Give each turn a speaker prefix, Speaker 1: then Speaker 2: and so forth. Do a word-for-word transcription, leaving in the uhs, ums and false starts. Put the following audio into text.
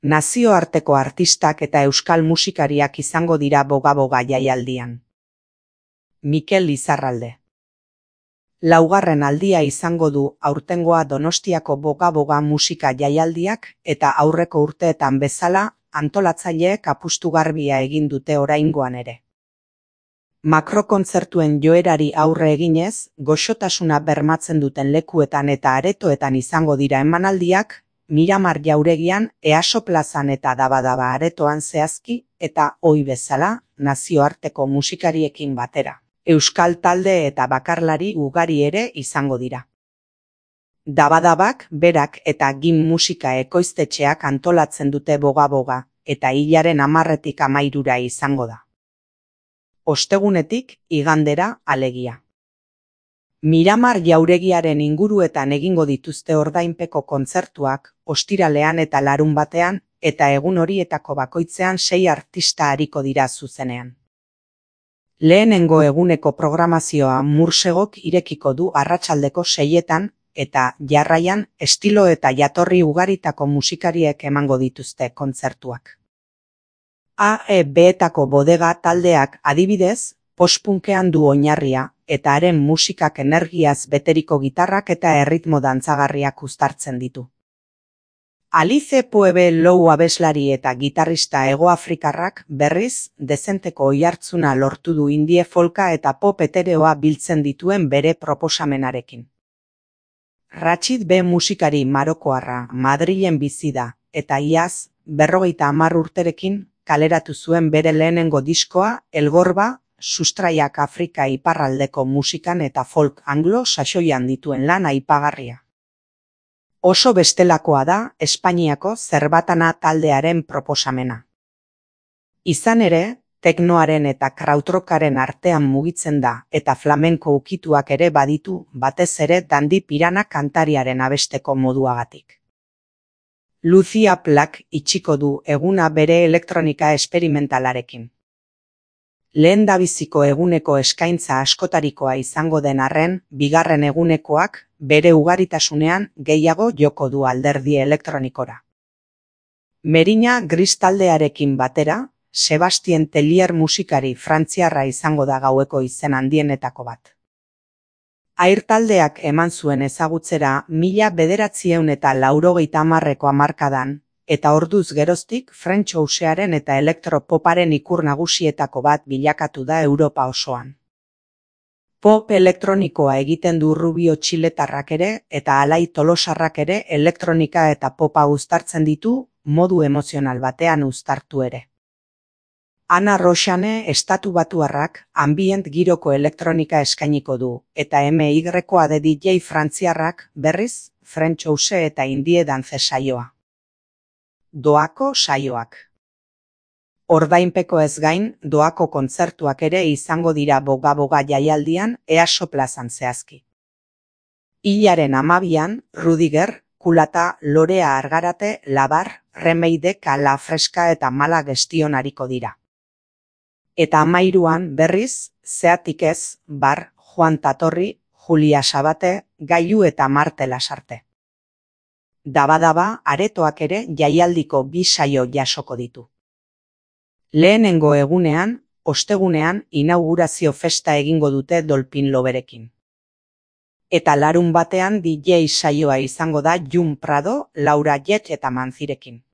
Speaker 1: Nazioarteko artistak eta euskal musikariak izango dira boga-boga jaialdian. Mikel Izarralde. Laugarren aldia izango du aurtengoa Donostiako boga-boga musika jaialdiak eta aurreko urteetan bezala antolatzaileek apustu garbia egin dute oraingoan ere. Makrokontzertuen joerari aurre eginez, goxotasuna bermatzen duten lekuetan eta aretoetan izango dira emanaldiak, Miramar jauregian, Easo plazan eta Daba-Daba aretoan zehazki eta ohi bezala nazioarteko musikariekin batera. Euskal talde eta bakarlari ugari ere izango dira. Daba-Dabak berak eta Gim musika ekoiztetxeak antolatzen dute boga-boga eta hilaren hamarretik hamairura izango da. Ostegunetik igandera alegia. Miramar jauregiaren inguruetan egingo dituzte ordainpeko kontzertuak ostiralean eta larunbatean eta egun horietako bakoitzean sei artista ariko dira zuzenean. Lehenengo eguneko programazioa Mursegok irekiko du arratsaldeko seietan eta jarraian estilo eta jatorri ugaritako musikariek emango dituzte kontzertuak. A E B-etako bodega taldeak adibidez, post-punkean du oinarria eta haren musikak energiaz beteriko gitarrak eta erritmo dantzagarriak uztartzen ditu. Alice Pueblo abeslari eta gitarrista hegoafrikarrak berriz dezenteko oihartzuna lortu du indie folka eta pop etereoa biltzen dituen bere proposamenarekin. Ratxid B musikari marokoarra Madrilen bizi da eta iaz berrogeita hamar urterekin kaleratu zuen bere lehenengo diskoa Elgorba, sustraiak Afrika iparraldeko musikan eta folk anglo-saxoian dituen lan aipagarria. Oso bestelakoa da Espainiako Zerbatana taldearen proposamena. Izan ere, teknoaren eta krautrockaren artean mugitzen da eta flamenko ukituak ere baditu batez ere Dandi Pirana kantariaren abesteko moduagatik. Lucia Plak itxiko du eguna bere elektronika esperimentalarekin. Lehendabiziko eguneko eskaintza askotarikoa izango den arren, bigarren egunekoak bere ugaritasunean gehiago joko du alderdi elektronikora. Merina Gris taldearekin batera, Sebastien Tellier musikari frantziarra izango da gaueko izen handienetako bat. Air taldeak eman zuen ezagutzera mila bederatziehun eta laurogeita hamarreko hamarkadan, eta orduz geroztik French housearen eta elektropoparen ikur nagusietako bat bilakatu da Europa osoan. Pop elektronikoa egiten du Rubio txiletarrak ere eta Alai tolosarrak ere elektronika eta popa uztartzen ditu modu emozional batean uztartu ere. Ana Roxane estatu batuarrak ambient giroko elektronika eskainiko du eta M Y-a de D J frantziarrak berriz French house eta indie dance saioa. Doako saioak. Ordainpeko ez gain, doako kontzertuak ere izango dira boga-boga jaialdian Easo plazan zehazki. Hilaren hamabian, Rudiger, Kulata, Lorea Argarate, Labar, Remeideka, La Freska eta Mala Gestion ariko dira. Eta hamairuan berriz, Zeatik ez, Bar, Juan Tatorri, Julia Sabate, Gailu eta Marte Lasarte. Daba-Daba aretoak ere jaialdiko bi saio jasoko ditu. Lehenengo egunean, ostegunean inaugurazio festa egingo dute Dolpin Loverekin. Eta larun batean D J saioa izango da Jun Prado, Laura Jet eta Manzirekin.